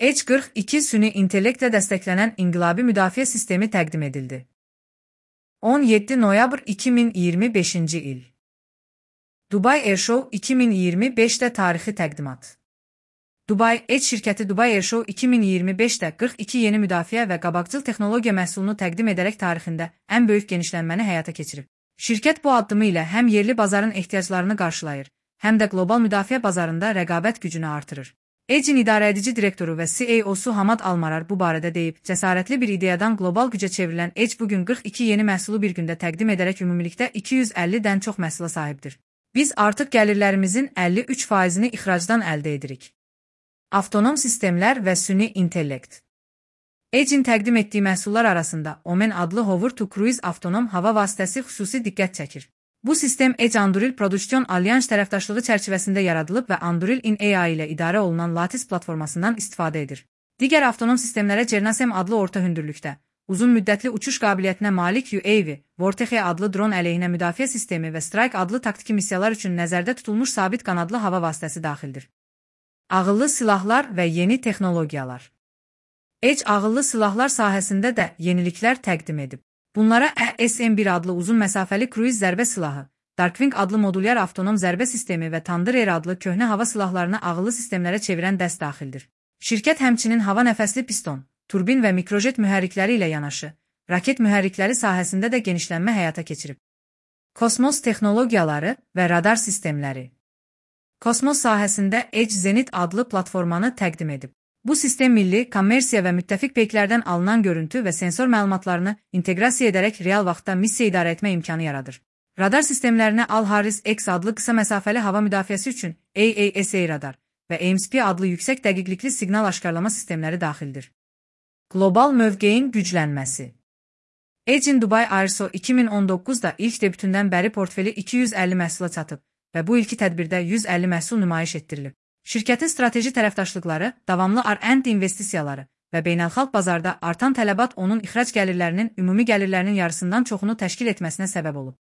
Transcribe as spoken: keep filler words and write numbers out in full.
Edge qırx iki süni intellektlə dəstəklənən inqilabi müdafiə sistemi təqdim edildi. on yeddi noyabr iki min iyirmi beşinci il. Dubai Airshow iki min iyirmi beşdə tarixi təqdimat. Dubai Edge şirkəti Dubai Airshow iki min iyirmi beşdə qırx iki yeni müdafiə və qabaqcıl texnologiya məhsulunu təqdim edərək tarixində ən böyük genişlənməni həyata keçirib. Şirkət bu addımı ilə həm yerli bazarın ehtiyaclarını qarşılayır, həm də qlobal müdafiə bazarında rəqabət gücünü artırır. Edge'in idarəedici direktoru və C E O'su Hamad Almarar bu barədə deyib, cəsarətli bir ideyadan qlobal gücə çevrilən Edge bugün qırx iki yeni məhsulu bir gündə təqdim edərək ümumilikdə iki yüz əllidən çox məhsula sahibdir. Biz artıq gəlirlərimizin əlli üç faizini ixracdan əldə edirik. Avtonom sistemlər və süni intellekt. Edge'in təqdim etdiyi məhsullar arasında Omen adlı Hover to Cruise avtonom hava vasitəsi xüsusi diqqət çəkir. Bu sistem Edge Anduril Prodüksiyon Alyans tərəfdaşlığı çərçivəsində yaradılıb və Anduril in A I ilə idarə olunan Lattice platformasından istifadə edir. Digər avtonom sistemlərə Cernasem adlı orta hündürlükdə, uzun müddətli uçuş qabiliyyətinə malik U A V, Vortexe adlı dron əleyhinə müdafiə sistemi və Strike adlı taktiki missiyalar üçün nəzərdə tutulmuş sabit qanadlı hava vasitəsi daxildir. Ağıllı silahlar və yeni texnologiyalar. Edge ağıllı silahlar sahəsində də yeniliklər təqdim edib. Bunlara A S M bir adlı uzun məsafəli kruiz zərbə silahı, Darkwing adlı modulyar avtonom zərbə sistemi və Thunder Air adlı köhnə hava silahlarını ağıllı sistemlərə çevirən dəst daxildir. Şirkət həmçinin hava nəfəsli piston, turbin və mikrojet mühərrikləri ilə yanaşı, raket mühərrikləri sahəsində də genişlənmə həyata keçirib. Kosmos texnologiyaları və radar sistemləri. Kosmos sahəsində Edge Zenit adlı platformanı təqdim edib. Bu sistem milli, kommersiya və müttəfiq peyklərdən alınan görüntü və sensor məlumatlarını inteqrasiya edərək real vaxtda missiya idarə etmə imkanı yaradır. Radar sistemlərinə Al-Harris X adlı qısa məsafəli hava müdafiəsi üçün A A S A radar və A M S P adlı yüksək dəqiqlikli siqnal aşkarlama sistemləri daxildir. Qlobal mövqeyin güclənməsi. Edge'in Dubai Airshow iki min on doqquzda ilk debütündən bəri portfeli iki yüz əlli məhsula çatıb və bu ilki tədbirdə yüz əlli məhsul nümayiş etdirilib. Şirkətin strateji tərəfdaşlıqları, davamlı R and D investisiyaları və beynəlxalq bazarda artan tələbat onun ixrac gəlirlərinin ümumi gəlirlərinin yarısından çoxunu təşkil etməsinə səbəb olub.